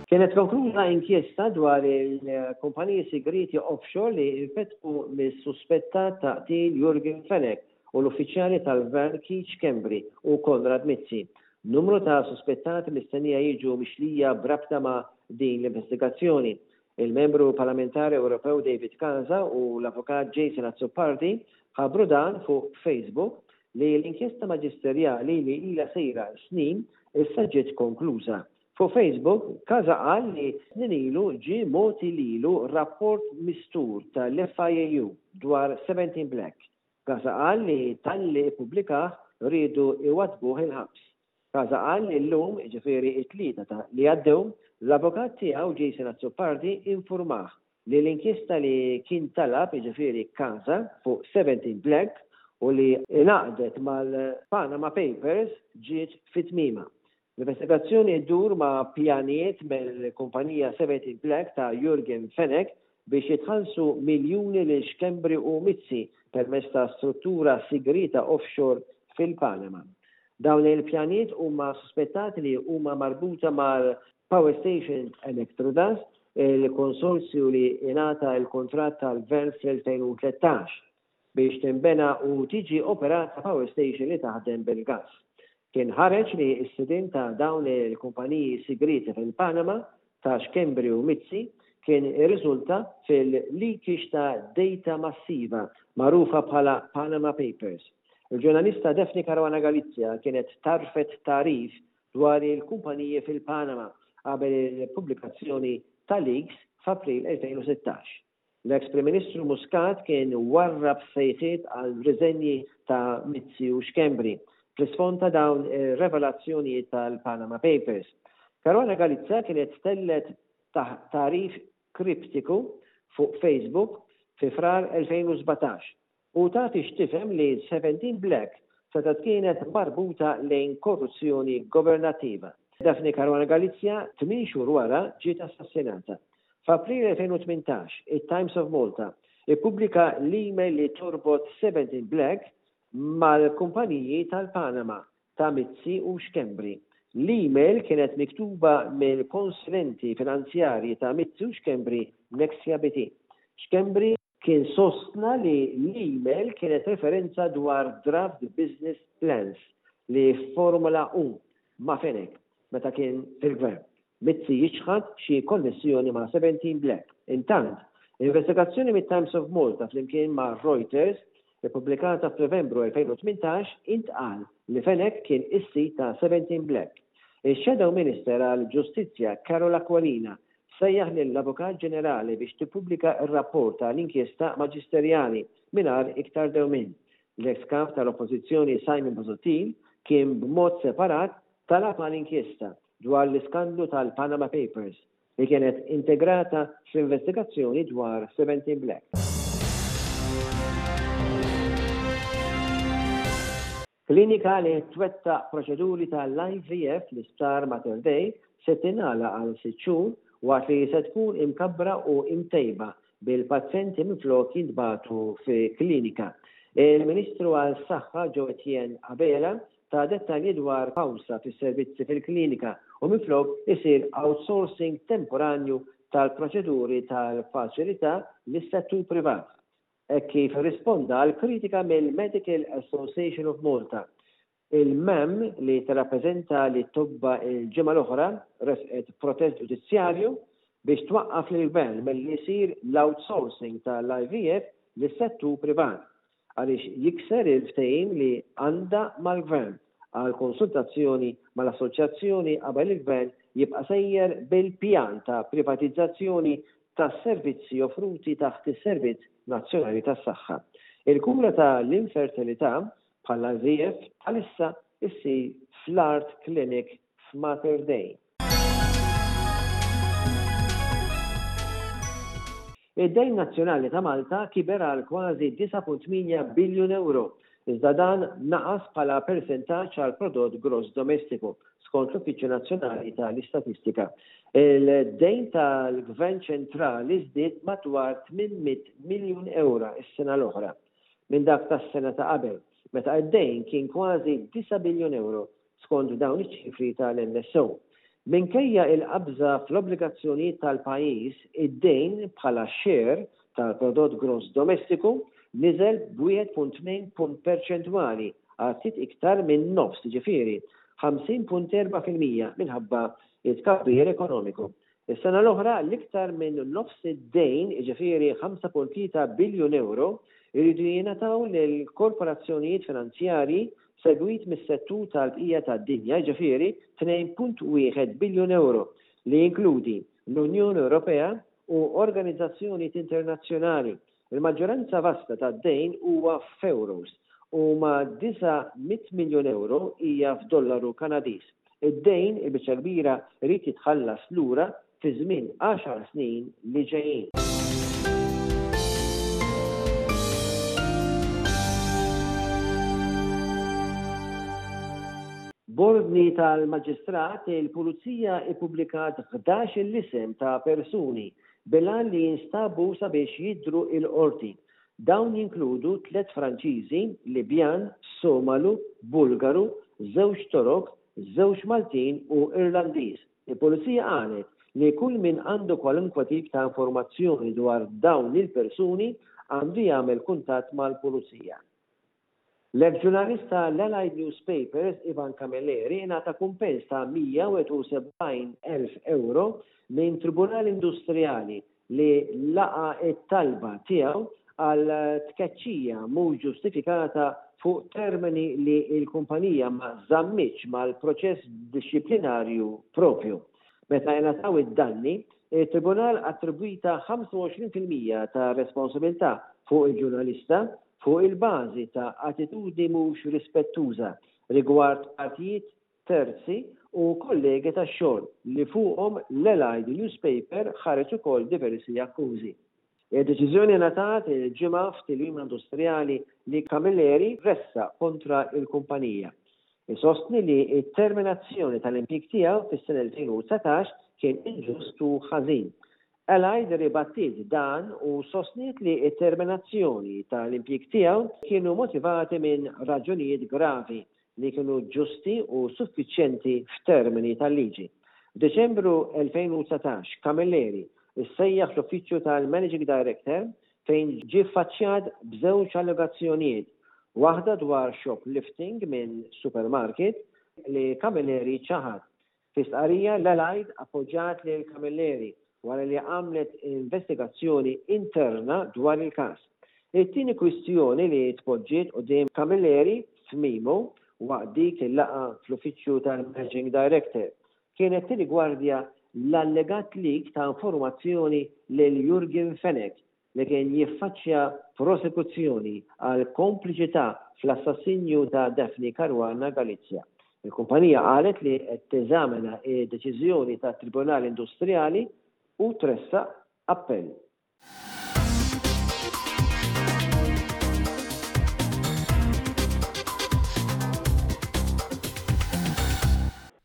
Kienet konkluża inkjesta dwar il-kumpaniji sigrieti offshore li nfetħu mis-suspettat ta' qtil Yorgen Fenech u l-uffiċjali tal-Gvern Keith Schembri u Konrad Mizzi. Numru ta' suspettati mistennija jiġu mixlija b'rabta ma' din l-investigazzjoni. Il-Membru Parlamentari Ewropew David Casa u l-Avukat Jason Azzopardi ħabbru dan fuq Facebook li l-inkjesta maġisterjali li ilha sejra snin issa ġiet konkluża. Fuq Facebook, Casa qal li snin ilu ġie mogħti lilu rapport mistur tal-FIAU dwar 17 Black. Casa qal li talli ppubblikah riedu jwaddbuh il-ħabs. Casa qal li llum, jiġifieri t-Tlieta ta' li għaddew, l-avukat tiegħu Jason Azzopardi infurmah li l-inkjesta li kien talab, jiġifieri Casa, fuq 17 Black u li ingħaqdet mal-Panama Papers ġiet fi tmiemha. L-investigazzjoni ddur ma' pjanijiet mill-kumpanija 17 Black ta' Yorgen Fenech biex jitħallsu miljuni lil Schembri u Mizzi permezz ta' struttura sigrieta offshore fil-Panama. Dawn il-pjanijiet huma suspettati li huma marbuta mal-Power Station Electrodas, il-konsorzju li ingħata l-kuntratt tal-Gvern fl-2013. biex tinbena u tiġi operata power station li taħdem bil-gass. Kien ħareġ li s-sidien ta' dawn il-kumpaniji sigrieti fil-Panama, ta' Schembri u Mizzi, kien irriżulta fil-leakage ta' data massiva magħrufa bħala Panama Papers. Il-ġurnalista Daphne Caruana Galizia kienet tgħarrfet tagħrif dwar il-kumpaniji fil-Panama qabel il-pubblikazzjoni ta' leaks f'April 2016. L-eks Prim Ministru Muscat kien warrab sejħiet għal riżenji ta' Mizzi u Schembri fl-isfond ta' dawn ir-revelazzjonijiet tal-Panama Papers. Caruana Galizia kienet tellgħet tagħrif kriptiku fuq Facebook fi Frar 2017 u tagħti x'tifhem li 17 Black setgħet kienet marbuta lejn korruzzjoni governattiva. Daphne Caruana Galizia tmien xhur wara ġiet assassinata. F'April 2018, it-Times of Malta ippubblika l-email li torbot 17 Black mal-kumpaniji tal-Panama ta' Mizzi u Schembri. L-email kienet miktuba mill-konsulenti finanzjarji ta' Mizzi u Schembri Nexia BT. Schembri Kien sostna li l-email kienet referenza dwar draft business plans li fformula hu ma' Fenech meta kien fil-Gvern. Mizzi jiċħad xi konnessjoni ma' 17 Black. Intant, investigazzjoni mit-Times of Malta flimkien ma' Reuters, ippubblikata f'Novembru 2018, intqal li Fenech kien is-sid ta' 17 Black. Ix-Shadow Minister għall-Ġustizzja Karol Aquilina sejjaħ lill-Avukat Ġenerali biex tippubblika r-rapport ta' l-inkjesta maġisterjali mingħajr iktar dewmien. L-eks Kap tal-Oppożizzjoni Simon Busuttil kien b'mod separat talab għal inkjesta dwar l-iskandlu tal-Panama Papers li kienet integrata fl-investigazzjoni dwar 17 Black. Klinika li twettaq proċeduri tal-IVF fl-Isptar Mater Dei se tingħalaq għal sitt xhur waqt li se tkun imkabbra u imtejba bil-pazjenti minflok jintbagħtu fi klinika. Il-Ministru għas-Saħħa Jo Etienne Abela ta dettalji dwar pawsa fis-servizzi fil-klinika u minflok isir outsourcing temporanju tal-proċeduri tal-faċilità lis-settur privat. Hekk kif irrisponda għal kritika mill-Medical Association of Malta, il-MAM li tirrappreżenta lit-tobba l-ġimgħa l-oħra ressqet protest ġudizzjarju biex twaqqaf lill-Gvern milli jsir l-outsourcing tal-IVF lis-settur privat għaliex jikser il-ftehim li għandha mal-Gvern għal konsultazzjoni mal-assoċjazzjoni qabel il-Gvern jibqa' sejjer bil-pjan ta' privatizzazzjoni tas-servizzi offruti taħt is-Servizz Nazzjonali tas-Saħħa. Il-kura ta' l-infertilità, bħall-IVF, bħalissa issir fl-Art Clinic f'Mater Dei. Id-dejn nazzjonali ta' Malta kiber għal kważi 9.8 biljun ewro, iżda dan naqas bħala persentaġġ għall-prodott gross domestiku, skont l-Uffiċċju Nazzjonali tal-Istatistika. Il-dejn tal-Gvern ċentrali żdied madwar 800 miljun ewra s-sena l-oħra minn dak tas-sena ta' qabel, meta d-dejn kien kważi 9 biljun ewro, skont dawn iċ-ċifri tal-NSO. Minkejja il-qabża fl-obbligazzjonijiet tal-pajjiż, id-dejn bħala share tal-prodott gross domestiku niżel b'1.2 punt perċentwali għal ftit iktar minn nofs, jiġifieri 50.4% minħabba t-tkabbir ekonomiku. Is-sena l-oħra, l-iktar minn nofs id-dejn, jiġifieri 5.3 biljun ewro, iridu jingħataw lill-korporazzjonijiet finanzjarji segwit mis-settur tal-bqija tad-dinja, jiġifieri 2.1 biljun ewro, li jinkludi l-Unjoni Ewropea u organizzazzjonijiet internazzjonali. Il-maġġoranza vasta tad-dejn huwa f'euros u ma' 900 miljun ewro hija f'dollaru Kanadiż. Id-dejn, il-biċċa l-kbira, irid jitħallas lura fi żmien għaxar snin li ġejjin. B'ordni tal-Maġistrat, il-Pulizija ippubblikat 11-il isem ta' persuni bil-għan li jinstabu sabiex jidhru l-Qorti. Dawn jinkludu tlett Franċiżi, Libjan, Somalu, Bulgaru, żewġ Torok, żewġ Maltin u Irlandiż. Il-Pulizija qalet li kull min għandu kwalunkwe tip ta' informazzjoni dwar dawn il-persuni għandu jagħmel kuntatt mal-Pulizija. L-eks ġurnalist ta' l-Allied Newspapers Ivan Camilleri ingħata kumpens ta' 171,000 ewro minn Tribunal Industrijali li laqa' t-talba tiegħu għal tkeċċija mhux ġustifikata fuq termini li l-kumpanija ma żammitx mal-proċess dixxiplinarju proprju. Meta ingħataw id-danni, it-Tribunal attribwita 25% ta' responsabilità fuq il-ġurnalista fuq il-bażi ta' attitudni mhux rispettuża rigward partijiet terzi u kollegi tax-xogħol li fuqhom l-Allied Newspaper ħareġ ukoll diversi akkużi. Id-deċiżjoni ngħatat il-Ġimgħa f'tilwima industrijali li Camilleri ressaq kontra l-kumpanija. Isostni li t-terminazzjoni tal-impjieg tiegħu fis-sena 2019 kien inġust u ħażin. Allied irribattiet dan u sostniet li t-terminazzjoni tal-impjieg tiegħu kienu motivati minn raġunijiet gravi li kienu ġusti u suffiċjenti f'termini tal-liġi. F'Diċembru 2019, Camilleri ssejjaħ fl-uffiċċju tal-Managing Director fejn ġie ffaċċjat b'żewġ allegazzjonijiet, waħda dwar shoplifting minn supermarket li Camilleri ċaħad. Fi stqarrija, l-Allied appoġġat lil Camilleri wara li għamlet investigazzjoni interna dwar il-każ. It-tieni kwistjoni li tpoġġiet quddiem Camilleri f'memo waqt dik il-laqgħa fl-uffiċċju tal-Managing Director kienet tirrigwardja l-allegat leak ta' informazzjoni lil Yorgen Fenech li kien jiffaċċja prosekuzzjoni għal kompliċità fl-assassinju ta' Daphne Caruana Galizia. Il-kumpanija qalet li qed teżamina d-deċiżjoni tat-Tribunal Industrijali u tressaq appell.